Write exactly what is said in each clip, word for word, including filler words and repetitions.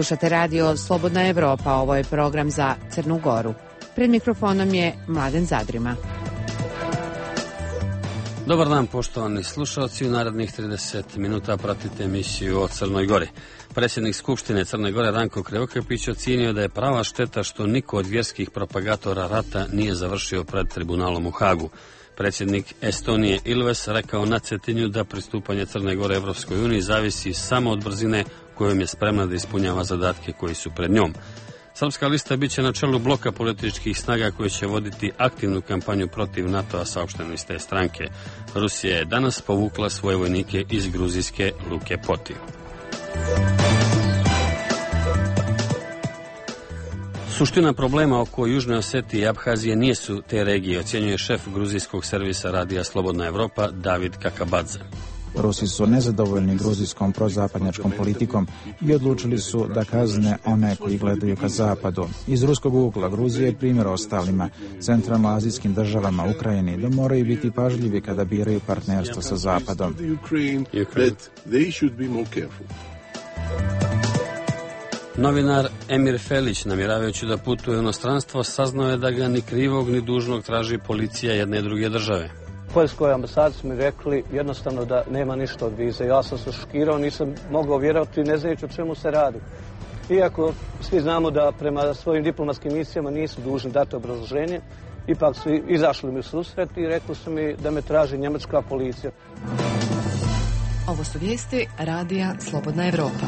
Slušate radio Slobodna Evropa, ovo je program za Crnu Goru. Pred mikrofonom je Mladen Zadrima. Dobar dan, poštovani slušalci. U narednih trideset minuta pratite emisiju o Crnoj Gori. Predsjednik Skupštine Crne Gore Ranko Krivokapić ocijenio da je prava šteta što niko od vjerskih propagatora rata nije završio pred tribunalom u Hagu. Predsjednik Estonije Ilves rekao na Cetinju da pristupanje Crne Gore Evropskoj uniji zavisi samo od brzine kojom je spremna da ispunjava zadatke koji su pred njom. Srpska lista biće na čelu bloka političkih snaga koji će voditi aktivnu kampanju protiv NATO-a, saopšteno iz te stranke. Rusija je danas povukla svoje vojnike iz gruzijske luke Poti. Suština problema oko Južne Osetije i Abhazije nije su te regije, ocjenjuje šef gruzijskog servisa radija Slobodna Evropa David Kakabadze. Rusi su nezadovoljni gruzijskom prozapadnjačkom politikom i odlučili su da kazne one koji gledaju ka zapadu. Iz ruskog ugla Gruzija je primjer ostalima, centralnoazijskim državama, Ukrajini, da moraju biti pažljivi kada biraju partnerstvo sa zapadom. Novinar Emir Felić, namjeravajući da putuje u inostranstvo, saznao je da ga ni krivog ni dužnog traži policija jedne i druge države. Poljskoj ambasadi su mi rekli jednostavno da nema ništa od vize. Ja sam se šokirao, nisam mogao vjerovati, ne znajući o čemu se radi. Iako svi znamo da prema svojim diplomatskim misijama nisu dužni dati obrazloženje, ipak su izašli mi u susret i rekli su mi da me traži njemačka policija. Ovo su vijesti radija Slobodna Evropa.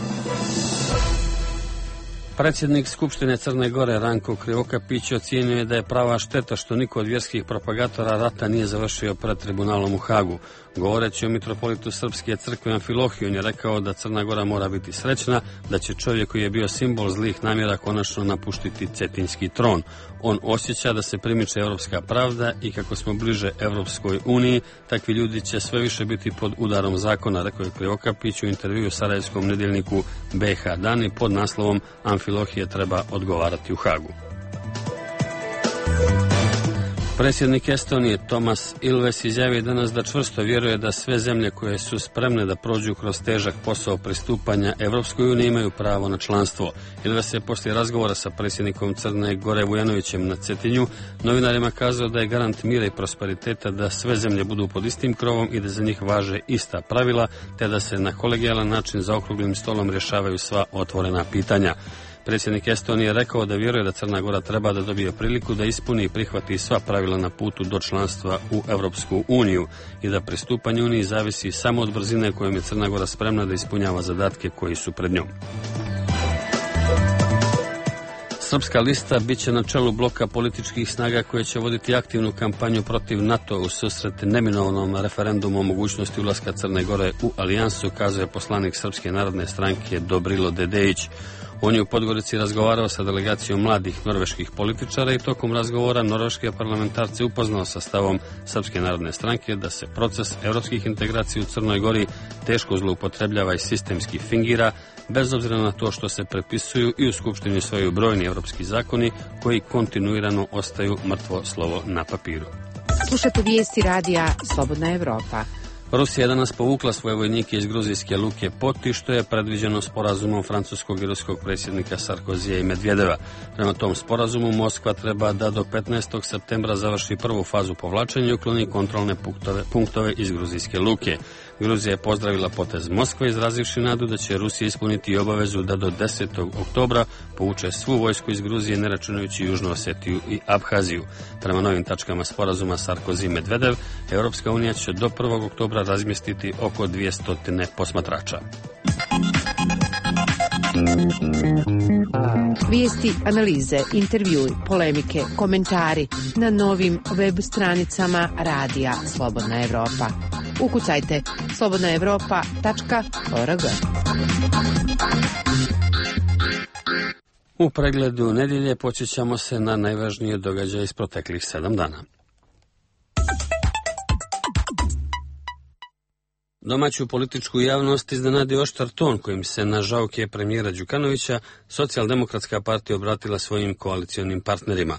Predsjednik Skupštine Crne Gore Ranko Krivokapić ocijenio je da je prava šteta što niko od vjerskih propagatora rata nije završio pred tribunalom u Hagu. Govoreći o mitropolitu Srpske crkve Amfilohiju, on je rekao da Crna Gora mora biti srećna, da će čovjek koji je bio simbol zlih namjera konačno napuštiti cetinski tron. On osjeća da se primiče evropska pravda i kako smo bliže Evropskoj uniji, takvi ljudi će sve više biti pod udarom zakona, rekao je Krivokapić u intervjuu sarajevskom nedjeljniku B H Dani pod naslovom Amfilohije treba odgovarati u Hagu. Predsjednik Estonije Tomas Ilves izjavio danas da čvrsto vjeruje da sve zemlje koje su spremne da prođu kroz težak posao pristupanja Evropskoj uniji imaju pravo na članstvo. Ilves je poslije razgovora sa predsjednikom Crne Gore Vujanovićem na Cetinju novinarima kazao da je garant mira i prosperiteta da sve zemlje budu pod istim krovom i da za njih važe ista pravila, te da se na kolegijalan način za okruglim stolom rješavaju sva otvorena pitanja. Predsjednik Estonije je rekao da vjeruje da Crna Gora treba da dobije priliku da ispuni i prihvati sva pravila na putu do članstva u Evropsku uniju i da pristupanje uniji zavisi samo od brzine kojom je Crna Gora spremna da ispunjava zadatke koji su pred njom. Srpska lista biće na čelu bloka političkih snaga koje će voditi aktivnu kampanju protiv NATO u susret neminovnom referendumu o mogućnosti ulaska Crne Gore u alijansu, kazuje poslanik Srpske narodne stranke Dobrilo Dedejić. On je u Podgorici razgovarao sa delegacijom mladih norveških političara i tokom razgovora norveške parlamentarce upoznao sa stavom Srpske narodne stranke da se proces evropskih integracija u Crnoj Gori teško zloupotrebljava i sistemski fingira, bez obzira na to što se prepisuju i u Skupštini usvajaju brojni evropski zakoni koji kontinuirano ostaju mrtvo slovo na papiru. Slušate vijesti radija Slobodna Evropa. Rusija je danas povukla svoje vojnike iz gruzijske luke Poti, što je predviđeno sporazumom francuskog i ruskog predsjednika Sarkozija i Medvedeva. Prema tom sporazumu Moskva treba da do petnaestog septembra završi prvu fazu povlačenja i ukloni kontrolne punktove, punktove iz gruzijske luke. Gruzija je pozdravila potez Moskve, izrazivši nadu da će Rusija ispuniti obavezu da do desetog oktobra povuče svu vojsku iz Gruzije, ne računajući Južnu Osetiju i Abhaziju. Prema novim tačkama sporazuma Sarkozy i Medvedev, Europska unija će do prvog oktobra razmjestiti oko dvjesto posmatrača. Vijesti, analize, intervjui, polemike, komentari na novim web stranicama radija Slobodna Evropa. Ukucajte slobodna evropa tačka org. U pregledu nedjelje počećemo se na najvažnije događaje iz proteklih sedam dana. Domaću političku javnost iznenadio oštar ton kojim se na žauke premijera Đukanovića Socijaldemokratska partija obratila svojim koalicionim partnerima,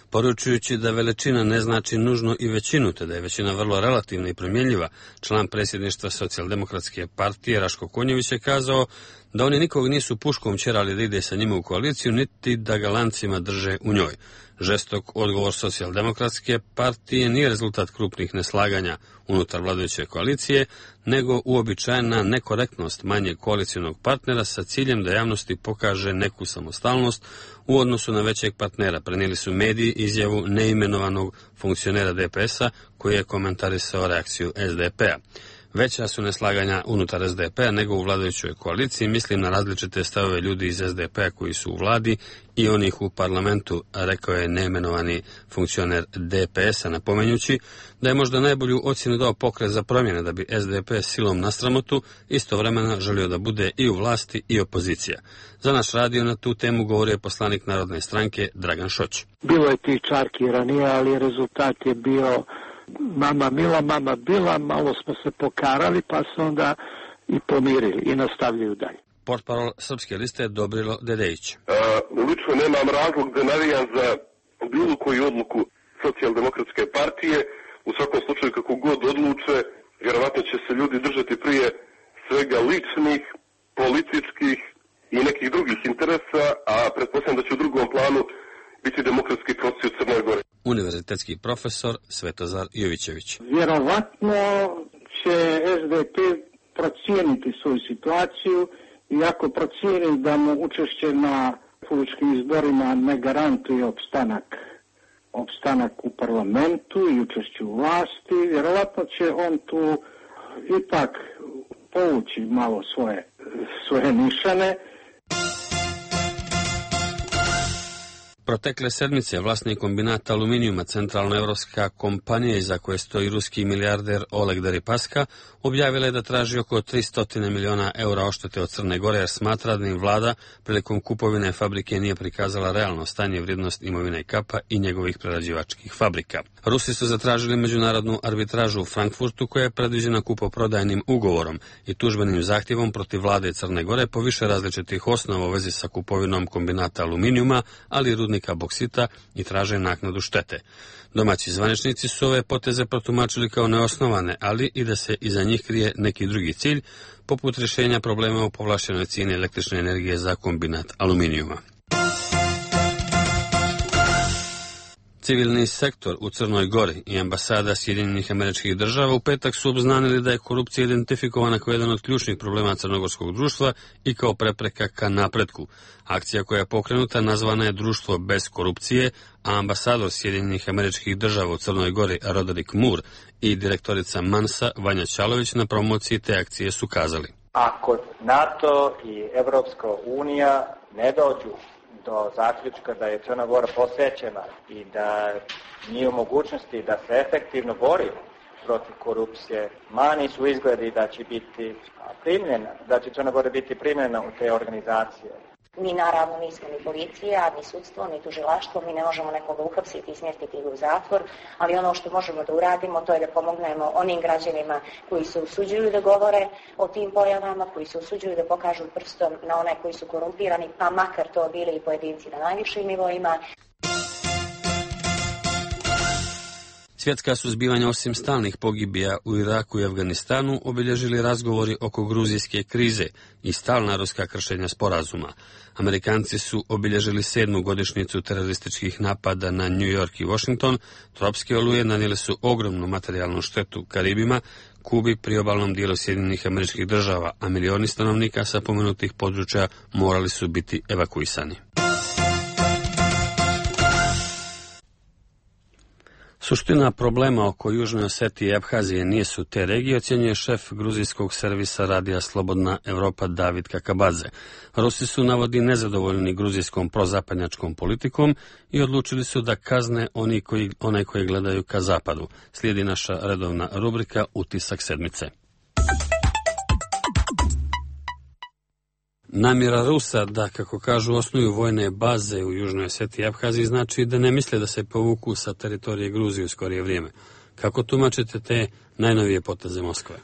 poručujući da veličina ne znači nužno i većinu, te da je većina vrlo relativna i promjenjiva. Član predsjedništva Socijaldemokratske partije Raško Konjević je kazao da oni nikog nisu puškom ćerali da ide sa njima u koaliciju, niti da ga lancima drže u njoj. Žestok odgovor socijaldemokratske partije nije rezultat krupnih neslaganja unutar vladajuće koalicije, nego uobičajena nekorektnost manjeg koalicijonog partnera sa ciljem da javnosti pokaže neku samostalnost u odnosu na većeg partnera. Prenijeli su mediji izjavu neimenovanog funkcionera D P S-a koji je komentarisao reakciju S D P-a. Veća su neslaganja unutar S D P-a nego u vladajućoj koaliciji, mislim na različite stavove ljudi iz S D P-a koji su u vladi i onih u parlamentu, rekao je neimenovani funkcioner D P S-a, napomenjući da je možda najbolju ocjenu dao Pokret za promjene da bi S D P silom na sramotu istovremeno želio da bude i u vlasti i opozicija. Za naš radio na tu temu govorio je poslanik Narodne stranke Dragan Šoć. Bilo je tih čarki ranije, ali rezultat je bio mama mila, mama bila, malo smo se pokarali pa se onda i pomirili i nastavljaju dalje. Portparol Srpske liste je Dobrilo Dedejić. Uh, lično nemam razlog da navijam za bilo koju odluku socijaldemokratske partije. U svakom slučaju kako god odluče, vjerovatno će se ljudi držati prije svega ličnih, političkih i nekih drugih interesa, a pretpostavljam da će u drugom planu biti demokratski proces u Crnoj Gori. Univerzitetski profesor Svetozar Jovićević. Vjerovatno će S D P procijeniti svoju situaciju i ako procijeni da mu učešće na republičkim izborima ne garantuje opstanak, opstanak u parlamentu i učešću u vlasti, vjerovatno će on tu ipak povući malo svoje, svoje nišane. Protekle sedmice vlasnik kombinata aluminijuma centralnoevropska kompanija iza koje stoji ruski milijarder Oleg Deripaska objavila je da traži oko tristo miliona eura oštete od Crne Gore jer smatra da im vlada prilikom kupovine fabrike nije prikazala realno stanje vrijednost imovine Kapa i njegovih prerađivačkih fabrika. Rusi su zatražili međunarodnu arbitražu u Frankfurtu koja je predviđena kupoprodajnim ugovorom i tužbenim zahtjevom protiv vlade Crne Gore po više različitih osnova u vezi sa kupovinom kombinata aluminijuma, ali i rudnika boksita i traže naknadu štete. Domaći zvaničnici su ove poteze protumačili kao neosnovane, ali i da se iza njih krije neki drugi cilj, poput rješenja problema u povlašćenoj cijeni električne energije za kombinat aluminijuma. Civilni sektor u Crnoj Gori i ambasada Sjedinjenih Američkih Država u petak su obznanili da je korupcija identifikovana kao jedan od ključnih problema crnogorskog društva i kao prepreka ka napretku. Akcija koja je pokrenuta nazvana je Društvo bez korupcije, a ambasador Sjedinjenih Američkih Država u Crnoj Gori Roderick Moore i direktorica Mansa Vanja Ćalović na promociji te akcije su kazali: Ako NATO i Evropska unija ne dođu do zaključka da je Crna Gora posvećena i da nije u mogućnosti da se efektivno bori protiv korupcije, mani su izgledi da će biti primljena, da će Crna Gora biti primljena u te organizacije. Mi naravno nismo ni policija, ni sudstvo, ni tužilaštvo, mi ne možemo nekoga uhapsiti i smjestiti ga u zatvor, ali ono što možemo da uradimo to je da pomognemo onim građanima koji se usuđuju da govore o tim pojavama, koji se usuđuju da pokažu prstom na one koji su korumpirani, pa makar to bili i pojedinci na najvišim nivoima. Svjetska su zbivanja osim stalnih pogibija u Iraku i Afganistanu obilježili razgovori oko gruzijske krize i stalna ruska kršenja sporazuma. Amerikanci su obilježili sedmu godišnjicu terorističkih napada na New York i Washington, tropske oluje nanijele su ogromnu materijalnu štetu Karibima, Kubi, priobalnom dijelu Sjedinjenih Američkih Država, a milioni stanovnika sa pomenutih područja morali su biti evakuisani. Suština problema oko Južne Osetije i Abhazije nije su te regije, ocjenjuje šef gruzijskog servisa radija Slobodna Evropa David Kakabadze. Rusi su, navodi, nezadovoljni gruzijskom prozapadnjačkom politikom i odlučili su da kazne oni koji, one koji gledaju ka zapadu. Slijedi naša redovna rubrika Utisak sedmice. Namjera Rusa da, kako kažu, osnuju vojne baze u Južnoj Osetiji i Abhaziji znači da ne misle da se povuku sa teritorije Gruzije u skorije vrijeme. Kako tumačite te najnovije poteze Moskve?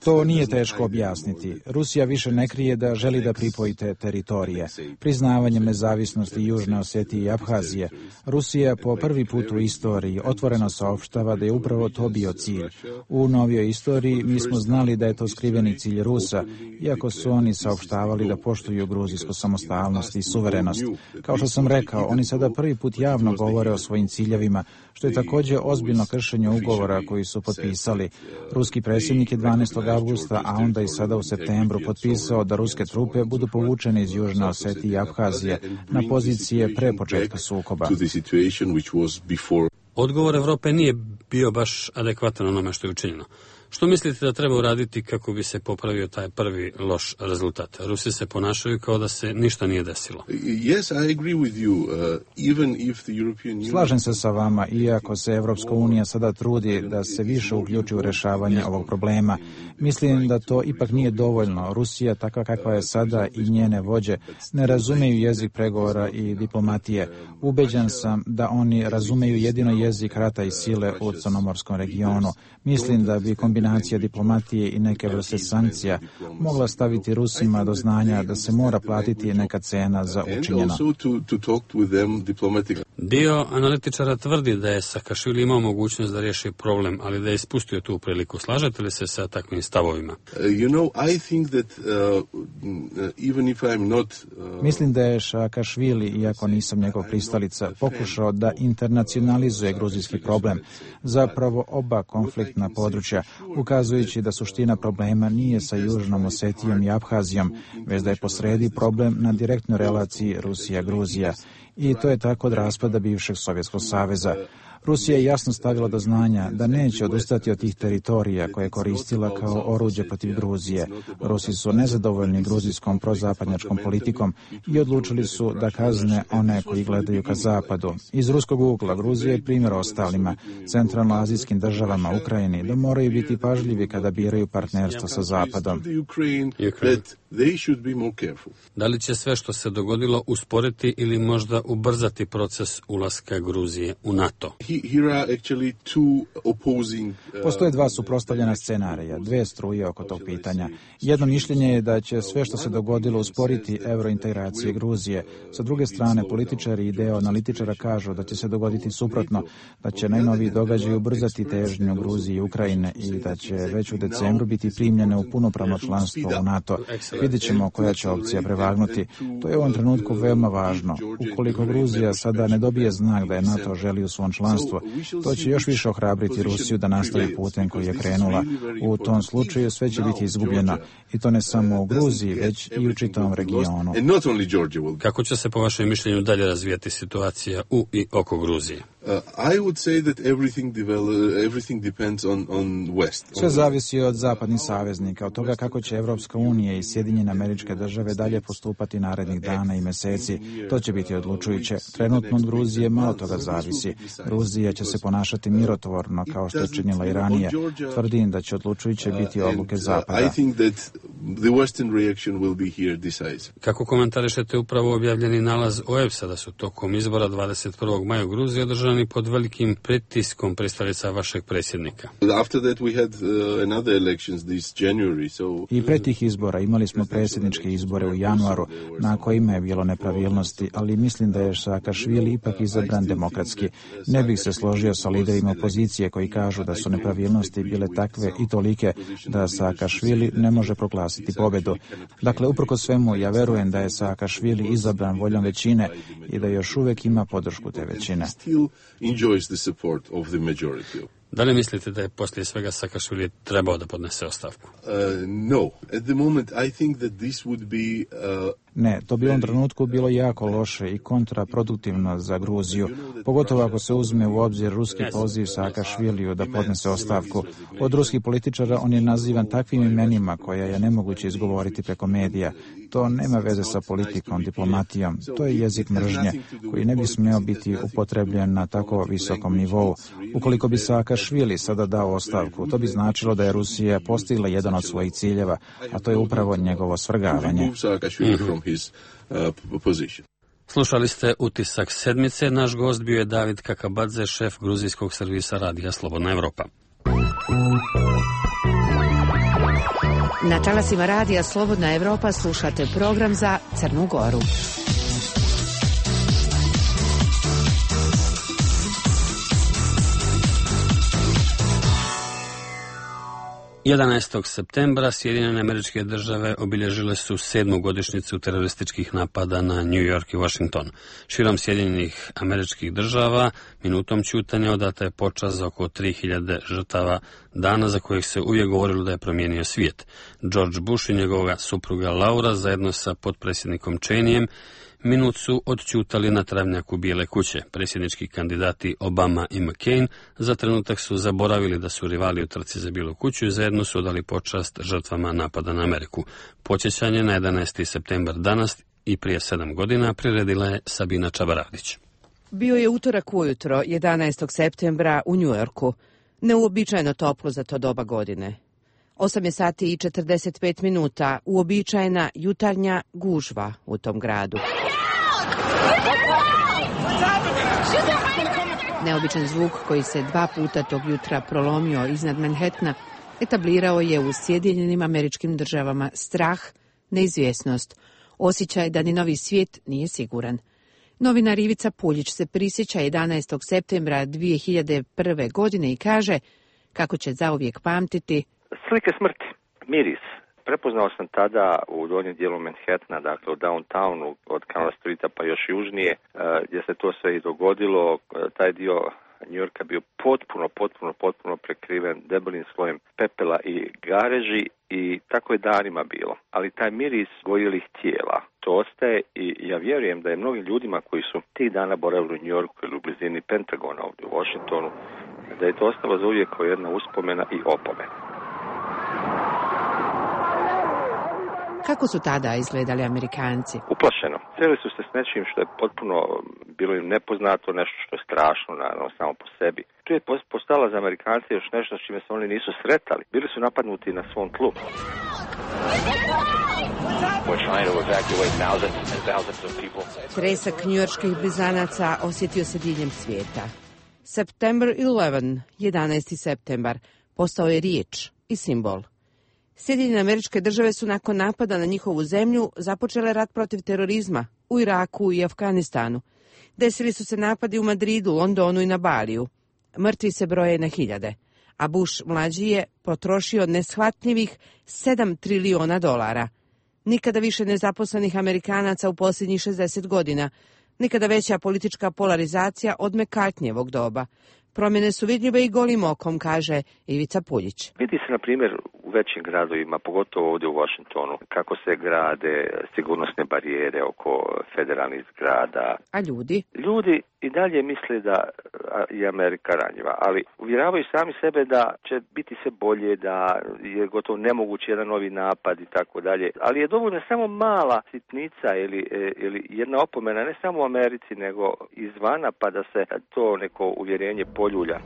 To nije teško objasniti. Rusija više ne krije da želi da pripoji te teritorije. Priznavanjem nezavisnosti Južne Osetije i Abhazije, Rusija po prvi put u istoriji otvoreno saopštava da je upravo to bio cilj. U novijoj istoriji mi smo znali da je to skriveni cilj Rusa, iako su oni saopštavali da poštuju gruzijsku samostalnost i suverenost. Kao što sam rekao, oni sada prvi put javno govore o svojim ciljevima, što je također ozbiljno kršenje ugovora koji su potpisali. Ruski predsjednik je dvanaestog avgusta, a onda i sada u septembru potpisao da ruske trupe budu povučene iz Južne Osetije i Abhazije na pozicije pre početka sukoba. Odgovor Evrope nije bio baš adekvatan onome što je učinjeno. Što mislite da treba uraditi kako bi se popravio taj prvi loš rezultat? Rusi se ponašaju kao da se ništa nije desilo. Slažem se sa vama, iako se Evropska unija sada trudi da se više uključi u rešavanje ovog problema. Mislim da to ipak nije dovoljno. Rusija, takva kakva je sada, i njene vođe ne razumeju jezik pregovora i diplomatije. Ubeđen sam da oni razumeju jedino jezik rata i sile u crnomorskom regionu. Mislim da bi kombinacija diplomatije i neke vrste sankcija mogla staviti Rusima do znanja da se mora platiti neka cena za učinjeno. Dio analitičara tvrdi da je Saakašvili imao mogućnost da riješi problem, ali da je ispustio tu priliku. Slažete li se sa takvim stavovima? Mislim da je Saakašvili, iako nisam njegov pristalica, pokušao da internacionalizuje gruzijski problem, zapravo oba konfliktna područja, ukazujući da suština problema nije sa Južnom Osetijom i Abhazijom, već da je posredi problem na direktnoj relaciji Rusija-Gruzija. I to je tako od raspada bivšeg Sovjetskog saveza. Rusija je jasno stavila do znanja da neće odustati od tih teritorija koje je koristila kao oruđe protiv Gruzije. Rusi su nezadovoljni gruzijskom prozapadnjačkom politikom i odlučili su da kazne one koji gledaju ka zapadu. Iz ruskog ugla Gruzija je primjer ostalima, centralnoazijskim državama, Ukrajini, da moraju biti pažljivi kada biraju partnerstvo sa zapadom. Da li će sve što se dogodilo usporiti ili možda ubrzati proces ulaska Gruzije u NATO? Postoje dva suprotstavljena scenarija, dve struje oko tog pitanja. Jedno mišljenje je da će sve što se dogodilo usporiti eurointegracije Gruzije. Sa druge strane, političari i deo analitičara kažu da će se dogoditi suprotno, da će najnoviji događaj ubrzati težnju Gruzije i Ukrajine i da će već u decembru biti primljene u punopravno članstvo u NATO. Vidjet ćemo koja će opcija prevagnuti. To je u ovom trenutku veoma važno. Ukoliko Gruzija sada ne dobije znak da je NATO želi u svom članstvu, to će još više ohrabriti Rusiju da nastavi putem koji je krenula. U tom slučaju sve će biti izgubljeno. I to ne samo u Gruziji, već i u čitavom regionu. Kako će se po vašem mišljenju dalje razvijati situacija u i oko Gruzije? Sve zavisi od zapadnih saveznika, od toga kako će Evropska unija i Sjedinjene Američke Države dalje postupati narednih dana i meseci. To će biti odlučujuće. Trenutno od Gruzije malo toga zavisi. Gruzija će se ponašati mirotvorno, kao što je činila i ranije. Tvrdim da će odlučujuće biti odluke Zapada. Kako komentarišete upravo objavljeni nalaz O E B S-a da su tokom izbora dvadeset prvog maja u Gruziji održani pod velikim pritiskom pristalica vašeg predsjednika? I pre tih izbora imali smo predsjedničke izbore u januaru, na kojima je bilo nepravilnosti, ali mislim da je Saakašvili ipak izabran demokratski. Ne bih se složio sa liderima opozicije koji kažu da su nepravilnosti bile takve i tolike da Saakašvili ne može proglasiti pobedu. Dakle, uprko svemu, ja verujem da je Saakašvili izabran voljom većine i da još uvek ima podršku te većine. Da li mislite da je poslije svega Saakašvili trebao da podnese ostavku? Uh, no. At the moment, I think that this would be... Uh... Ne, to bi u ovom trenutku bilo jako loše i kontraproduktivno za Gruziju, pogotovo ako se uzme u obzir ruski poziv Saakašviliju da podnese ostavku. Od ruskih političara on je nazivan takvim imenima koja je nemoguće izgovoriti preko medija. To nema veze sa politikom, diplomatijom. To je jezik mržnje koji ne bi smeo biti upotrebljen na tako visokom nivou. Ukoliko bi Saakašvili sada dao ostavku, to bi značilo da je Rusija postigla jedan od svojih ciljeva, a to je upravo njegovo svrgavanje. Slušali ste Utisak sedmice. Naš gost bio je David Kakabadze, šef gruzijskog servisa radija Slobodna Evropa. Na talasima radija Slobodna Evropa slušate program za Crnu Goru. jedanaestog septembra Sjedinjene Američke Države obilježile su sedmu godišnjicu terorističkih napada na New York i Washington. Širom Sjedinjenih Američkih Država minutom ćutanja odata je počast za oko tri hiljade žrtava, dana za kojih se uvijek govorilo da je promijenio svijet. George Bush i njegova supruga Laura zajedno sa potpredsjednikom Cheneyem minut su odćutali na travnjaku Bijele kuće. Predsjednički kandidati Obama i McCain za trenutak su zaboravili da su rivali u trci za Bijelu kuću i zajedno su odali počast žrtvama napada na Ameriku. Počećanje na jedanaesti septembar danas i prije sedam godina priredila je Sabina Čabaradić. Bio je utorak ujutro, jedanaestog septembra u Njujorku. Neuobičajeno toplo za to doba godine. osam je sati i četrdeset pet minuta, uobičajena jutarnja gužva u tom gradu. Neobičan zvuk koji se dva puta tog jutra prolomio iznad Manhattana etablirao je u Sjedinjenim Američkim Državama strah, neizvjesnost, osjećaj da ni novi svijet nije siguran. Novinar Ivica Puljić se prisjeća jedanaestog septembra dvije hiljade prve. godine i kaže kako će zauvijek pamtiti slike smrti, miris. Prepoznao sam tada u donjem dijelu Manhattana, dakle u downtownu, od Canal Streeta pa još južnije, gdje se to sve i dogodilo. Taj dio New Yorka bio potpuno, potpuno, potpuno prekriven debelim slojem pepela i gareži i tako je danima bilo. Ali taj miris gorjelih tijela, to ostaje i ja vjerujem da je mnogim ljudima koji su tih dana boravili u New Yorku ili u blizini Pentagona ovdje u Washingtonu, da je to ostalo za uvijek kao jedna uspomena i opomena. Kako su tada izgledali Amerikanci? Uplašeno. Sreli su se s nečim što je potpuno bilo im nepoznato, nešto što je strašno, naravno, samo po sebi. Tu je postala za Amerikance još nešto s čime se oni nisu sretali. Bili su napadnuti na svom tlu. Tresak njujorških blizanaca osjetio se diljem svijeta. September eleventh, jedanaesti septembar, postao je riječ i simbol. Sjedinjene Američke Države su nakon napada na njihovu zemlju započele rat protiv terorizma u Iraku i Afganistanu. Desili su se napadi u Madridu, Londonu i na Baliju. Mrtvi se broje na hiljade, a Bush mlađi je potrošio neshvatljivih sedam triliona dolara. Nikada više nezaposlenih Amerikanaca u posljednjih šezdeset godina, nikada veća politička polarizacija od McCartneyevog doba. Promjene su vidljive i golim okom, kaže Ivica Puljić. Vidi se, na primjer, u većim gradovima, pogotovo ovdje u Washingtonu, kako se grade sigurnosne barijere oko federalnih zgrada. A ljudi? Ljudi i dalje misle da je Amerika ranjiva, ali uvjeravaju sami sebe da će biti sve bolje, da je gotovo nemoguće jedan novi napad i tako dalje. Ali je dovoljno samo mala sitnica ili, ili jedna opomena, ne samo u Americi, nego izvana, pa da se to neko uvjerenje poljulja.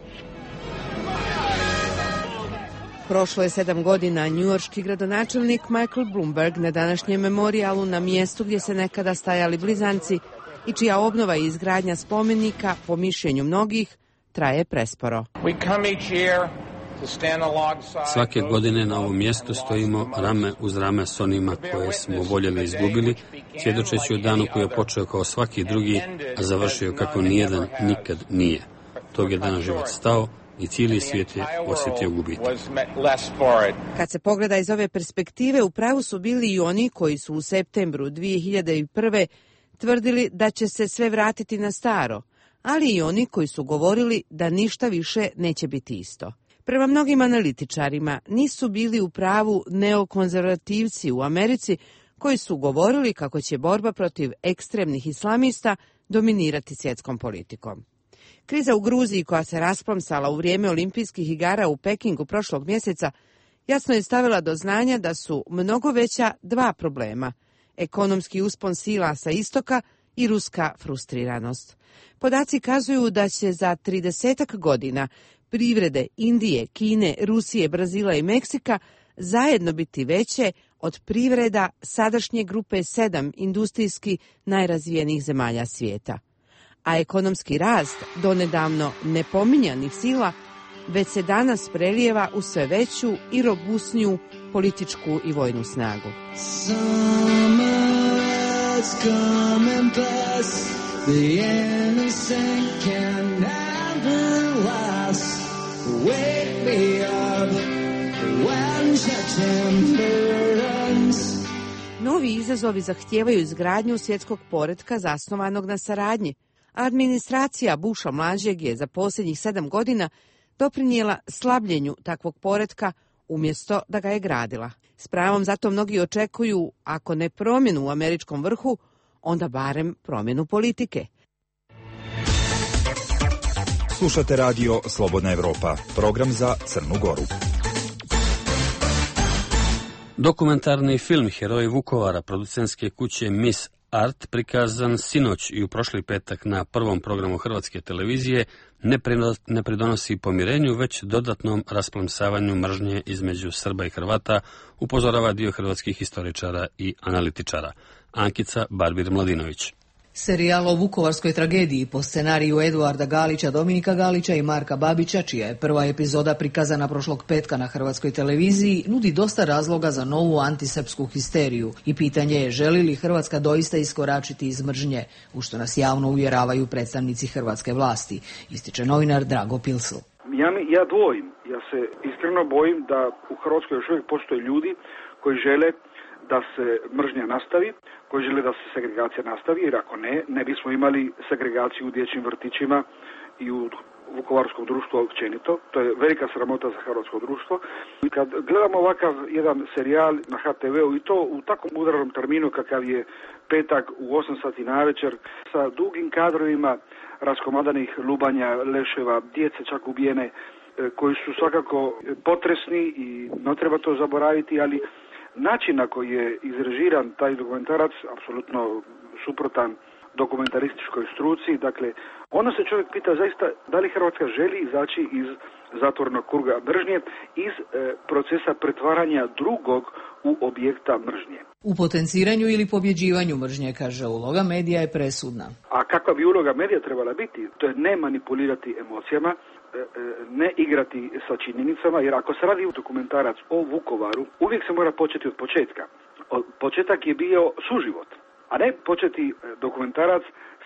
Prošlo je sedam godina. Njujorški gradonačelnik Michael Bloomberg na današnjem memorijalu na mjestu gdje se nekada stajali blizanci i čija obnova i izgradnja spomenika, po mišljenju mnogih, traje presporo. Svake godine na ovom mjestu stojimo rame uz rame s onima koje smo voljeli izgubili, svjedočeći o danu koji je počeo kao svaki drugi, a završio kako nijedan nikad nije. Tog je dana život stao i cijeli svijet je osjetio gubitak. Kad se pogleda iz ove perspektive, u pravu su bili i oni koji su u septembru dvije hiljade prve. tvrdili da će se sve vratiti na staro, ali i oni koji su govorili da ništa više neće biti isto. Prema mnogim analitičarima nisu bili u pravu neokonzervativci u Americi koji su govorili kako će borba protiv ekstremnih islamista dominirati svjetskom politikom. Kriza u Gruziji koja se rasplamsala u vrijeme olimpijskih igara u Pekingu prošlog mjeseca jasno je stavila do znanja da su mnogo veća dva problema: ekonomski uspon sila sa istoka i ruska frustriranost. Podaci kazuju da će za tridesetak godina privrede Indije, Kine, Rusije, Brazila i Meksika zajedno biti veće od privreda sadašnje grupe sedam industrijski najrazvijenijih zemalja svijeta. A ekonomski rast donedavno nepominjanih sila već se danas prelijeva u sve veću i robusniju političku i vojnu snagu. Novi izazovi zahtijevaju izgradnju svjetskog poretka zasnovanog na saradnji. Administracija Busha mlađeg je za posljednjih sedam godina doprinijela slabljenju takvog poretka umjesto da ga je gradila. S pravom zato mnogi očekuju, ako ne promjenu u američkom vrhu, onda barem promjenu politike. Slušate radio Slobodna Evropa, program za Crnu Goru. Dokumentarni film Heroji Vukovara producentske kuće Miss Art, prikazan sinoć i u prošli petak na prvom programu Hrvatske televizije, ne pridonosi pomirenju, već dodatnom rasplamsavanju mržnje između Srba i Hrvata, upozorava dio hrvatskih historičara i analitičara. Ankica Barbir-Mladinović. Serijal o vukovarskoj tragediji po scenariju Eduarda Galića, Dominika Galića i Marka Babića, čija je prva epizoda prikazana prošlog petka na Hrvatskoj televiziji, nudi dosta razloga za novu antisrpsku histeriju i pitanje je želi li Hrvatska doista iskoračiti iz mržnje, u što nas javno uvjeravaju predstavnici hrvatske vlasti, ističe novinar Drago Pilsl. Ja, mi, ja dvojim, ja se iskreno bojim da u Hrvatskoj još uvijek postoje ljudi koji žele da se mržnja nastavi, koji žele da se segregacija nastavi, jer ako ne, ne bismo imali segregaciju u dječjim vrtićima i u vukovarskom društvu općenito. To je velika sramota za hrvatsko društvo. I kad gledamo ovakav jedan serijal na ha te veu i to u takvom udarnom terminu kakav je petak u osam sati navečer, sa dugim kadrovima raskomadanih lubanja, leševa, djece čak ubijene, koji su svakako potresni i ne treba to zaboraviti, ali način na koji je izrežiran taj dokumentarac, apsolutno suprotan dokumentarističkoj struci, dakle, onda se čovjek pita zaista da li Hrvatska želi izaći iz zatvornog kruga mržnje, iz e, procesa pretvaranja drugog u objekta mržnje. U potenciranju ili pobjeđivanju mržnje, kaže, uloga medija je presudna. A kakva bi uloga medija trebala biti? To je ne manipulirati emocijama, ne igrati sa činjenicama, jer ako se radi dokumentarac o Vukovaru, uvijek se mora početi od početka. Početak je bio suživot, a ne početi dokumentarac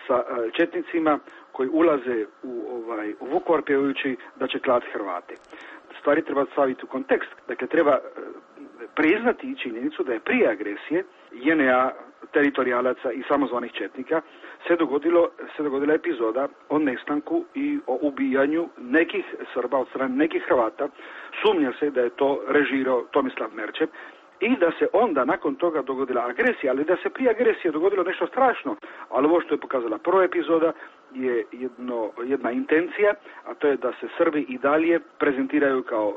sa četnicima koji ulaze u, ovaj, u Vukovar pjevajući da će klati Hrvate. Stvari treba staviti u kontekst. Dakle, treba priznati činjenicu da je prije agresije je en a, teritorijalaca i samozvanih četnika se dogodilo, se dogodila epizoda o nestanku i o ubijanju nekih Srba od strane nekih Hrvata. Sumnja se da je to režirao Tomislav Merčep i da se onda nakon toga dogodila agresija, ali da se prije agresije dogodilo nešto strašno. Ali ovo što je pokazala prva epizoda je jedno, jedna intencija, a to je da se Srbi i dalje prezentiraju kao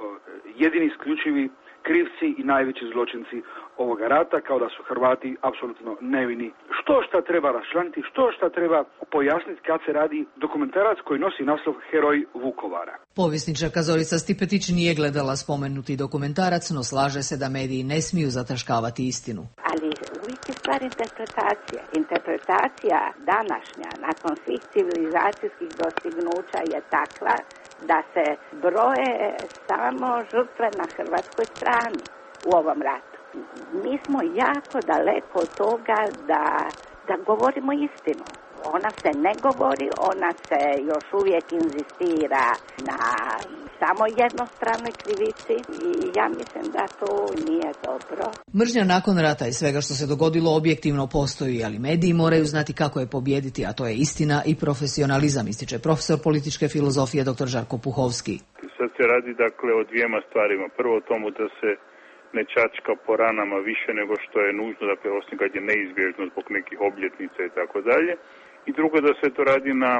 jedini isključivi krivci i najveći zločinci ovoga rata, kao da su Hrvati apsolutno nevini. Što šta treba raščlaniti, što šta treba pojasniti kad se radi dokumentarac koji nosi naslov Heroj Vukovara. Povjesničarka Zorica Stipetić nije gledala spomenuti dokumentarac, no slaže se da mediji ne smiju zataškavati istinu. Ali uvijek je stvar interpretacija. Interpretacija današnja, nakon svih civilizacijskih dostignuća, je takva da se broje samo žrtve na hrvatskoj strani u ovom ratu. Mi smo jako daleko od toga da, da govorimo istinu. Ona se ne govori, ona se još uvijek inzistira na samo jednostranoj krivici i ja mislim da to nije dobro. Mržnja nakon rata i svega što se dogodilo objektivno postoji, ali mediji moraju znati kako je pobijediti, a to je istina i profesionalizam, ističe profesor političke filozofije dr. Žarko Puhovski. Sad se radi dakle o dvijema stvarima. Prvo o tomu da se ne čačka po ranama više nego što je nužno, dakle osim kad je neizbježno zbog nekih obljetnica i tako dalje. I drugo da se to radi na,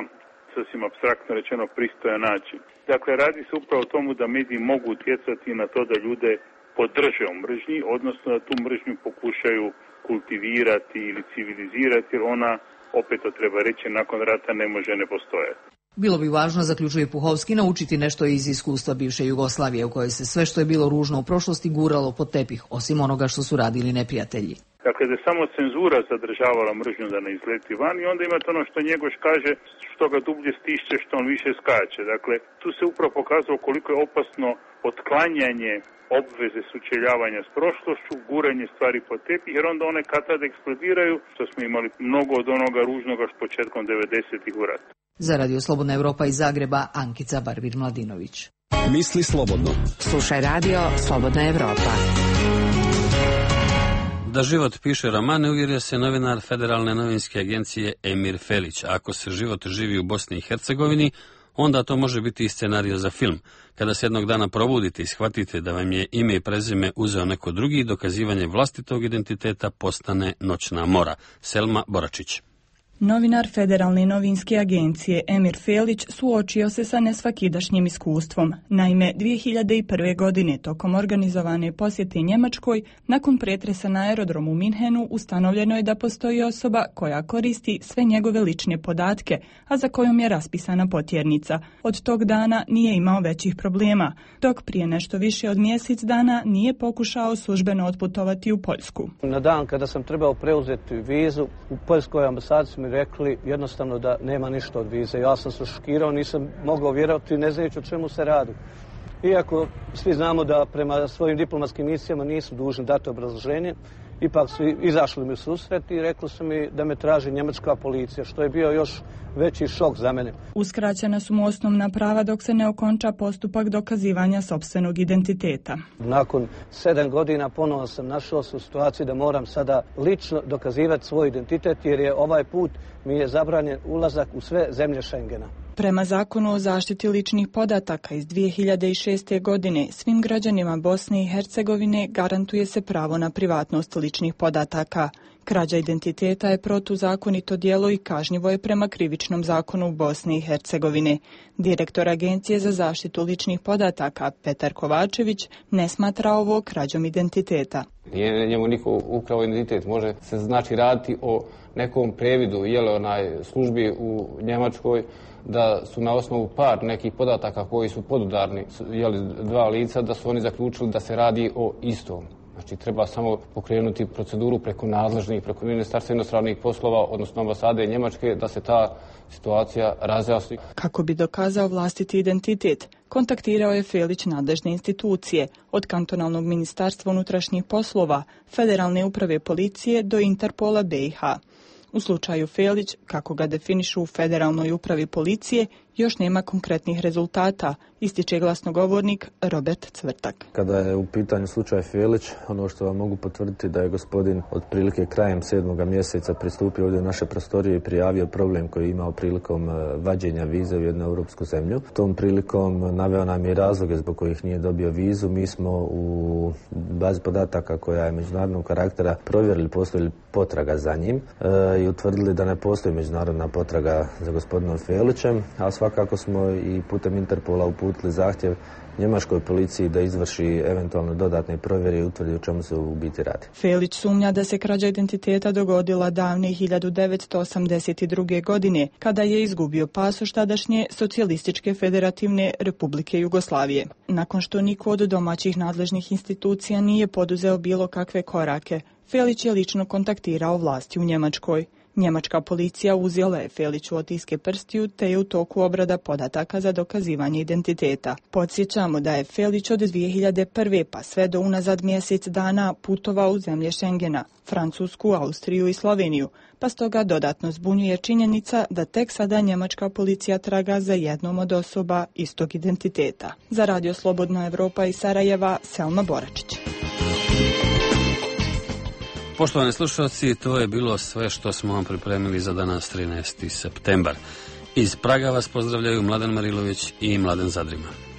sasvim apstraktno rečeno, pristojan način. Dakle, radi se upravo o tomu da mediji mogu utjecati na to da ljude podrže u mržnji, odnosno da tu mržnju pokušaju kultivirati ili civilizirati, jer ona, opet to treba reći, nakon rata ne može ne postojati. Bilo bi važno, zaključuje Puhovski, naučiti nešto iz iskustva bivše Jugoslavije, u kojoj se sve što je bilo ružno u prošlosti guralo pod tepih, osim onoga što su radili neprijatelji. Dakle, da je samo cenzura zadržavala mržnju da ne izleti van i onda imate ono što Njegoš kaže, što ga dublje stišće, što on više skače. Dakle, tu se upravo pokazalo koliko je opasno otklanjanje obveze sučeljavanja s prošlošću, guranje stvari po tepih, jer onda one kad tad eksplodiraju, što smo imali mnogo od onoga ružnoga s početkom devedesetih u ratu. Za Radio Slobodna Evropa iz Zagreba, Ankica Barbir-Mladinović. Misli slobodno. Slušaj Radio Slobodna Evropa. Da život piše romane, uvjerio se novinar Federalne novinske agencije Emir Felić. Ako se život živi u Bosni i Hercegovini, onda to može biti i scenario za film. Kada se jednog dana probudite i shvatite da vam je ime i prezime uzeo neko drugi, dokazivanje vlastitog identiteta postane noćna mora. Selma Boračić. Novinar Federalne novinske agencije Emir Felić suočio se sa nesvakidašnjim iskustvom. Naime, dvije hiljade prve. godine tokom organizovane posjete Njemačkoj, nakon pretresa na aerodromu u Minhenu, ustanovljeno je da postoji osoba koja koristi sve njegove lične podatke, a za kojom je raspisana potjernica. Od tog dana nije imao većih problema, dok prije nešto više od mjesec dana nije pokušao službeno otputovati u Poljsku. Na dan kada sam trebao preuzeti vizu, u Poljskoj ambasadi su mi rekli jednostavno da nema ništa od vize. Ja sam se šokirao, nisam mogao vjerovati, ne znajući o čemu se radi. Iako svi znamo da prema svojim diplomatskim misijama nisu dužni dati obrazloženje, ipak su izašli mi u susret i rekli su mi da me traži njemačka policija, što je bio još veći šok za mene. Uskraćena su mu osnovna prava dok se ne okonča postupak dokazivanja sopstvenog identiteta. Nakon sedam godina ponovo sam našao se u situaciji da moram sada lično dokazivati svoj identitet, jer je ovaj put mi je zabranjen ulazak u sve zemlje Schengena. Prema zakonu o zaštiti ličnih podataka iz dvije hiljade šeste. godine svim građanima Bosne i Hercegovine garantuje se pravo na privatnost ličnih podataka. Krađa identiteta je protuzakonito djelo i kažnjivo je prema krivičnom zakonu Bosne i Hercegovine. Direktor Agencije za zaštitu ličnih podataka Petar Kovačević ne smatra ovo krađom identiteta. Nije njemu niko ukrao identitet, može se znači raditi o nekom previdu jele onaj službi u Njemačkoj, da su na osnovu par nekih podataka koji su podudarni, jeli dva lica, da su oni zaključili da se radi o istom. Znači, treba samo pokrenuti proceduru preko nadležnih, preko Ministarstva inostranih poslova, odnosno ambasade Njemačke, da se ta situacija razjasni. Kako bi dokazao vlastiti identitet, kontaktirao je Felić nadležne institucije, od kantonalnog ministarstva unutrašnjih poslova, Federalne uprave policije do Interpola B i H. U slučaju Felić, kako ga definišu u Federalnoj upravi policije, još nema konkretnih rezultata, ističe glasnogovornik Robert Cvrtak. Kada je u pitanju slučaj Felić, ono što vam mogu potvrditi da je gospodin otprilike krajem sedmoga mjeseca pristupio ovdje u naše prostorije i prijavio problem koji je imao prilikom vađenja vize u jednu europsku zemlju. Tom prilikom naveo nam je razloge zbog kojih nije dobio vizu. Mi smo u bazi podataka koja je međunarodnog karaktera provjerili postoji li potraga za njim e, i utvrdili da ne postoji međunarodna potraga za gospodinom Felićem, a svakako smo i putem Interpola uputili zahtjev njemačkoj policiji da izvrši eventualno dodatne provjere i utvrdi o čemu se u biti radi. Felić sumnja da se krađa identiteta dogodila davne hiljadu devetsto osamdeset druge. godine, kada je izgubio pasoš tadašnje Socijalističke federativne Republike Jugoslavije. Nakon što niko od domaćih nadležnih institucija nije poduzeo bilo kakve korake, Felić je lično kontaktirao vlasti u Njemačkoj. Njemačka policija uzela je Feliću otiske prstiju te je u toku obrada podataka za dokazivanje identiteta. Podsjećamo da je Felić od dvije hiljade prve. pa sve do unazad mjesec dana putovao u zemlje Schengena, Francusku, Austriju i Sloveniju, pa stoga dodatno zbunjuje činjenica da tek sada njemačka policija traga za jednom od osoba istog identiteta. Za Radio Slobodna Evropa iz Sarajeva, Selma Boračić. Poštovani slušalci, to je bilo sve što smo vam pripremili za danas trinaesti septembar. Iz Praga vas pozdravljaju Mladen Marilović i Mladen Zadrima.